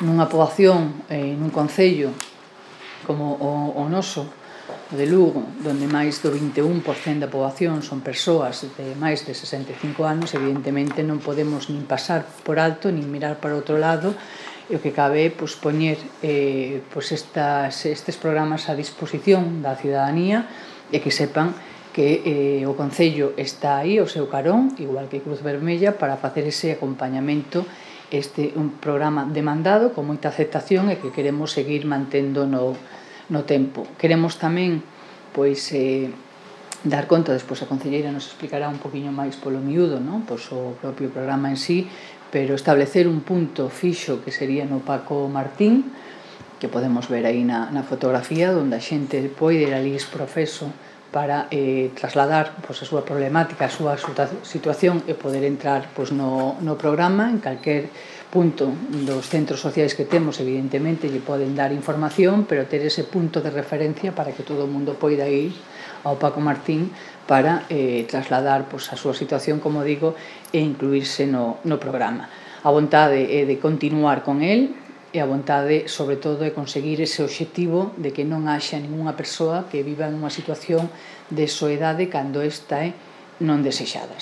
nunha poboación, nun concello como o noso, o de Lugo, onde máis do 21% da poboación son persoas de máis de 65 anos, evidentemente non podemos nin pasar por alto, nin mirar para outro lado, e o que cabe é poñer estes programas a disposición da cidadanía e que sepan que o Concello está aí ao seu carón, igual que Cruz Vermella, para facer ese acompañamento. Un programa demandado, con moita aceptación e que queremos seguir mantendo no tempo. Queremos tamén dar conta, despois a concelleira nos explicará un poquinho máis polo miúdo, o propio programa en sí, pero establecer un punto fixo que sería no Paco Martín, que podemos ver aí na fotografía, onde a xente pode ir ali profeso para trasladar a súa problemática, a súa situación e poder entrar no programa. En calquer punto dos centros sociais que temos, evidentemente, lle poden dar información, pero ter ese punto de referencia para que todo o mundo poida ir ao Paco Martín para trasladar a súa situación, como digo, e incluírse no programa. A vontade é de continuar con el, e a vontade, sobre todo, é conseguir ese obxectivo de que non haxa ningunha persoa que viva en unha situación de soedade cando esta é non desexada.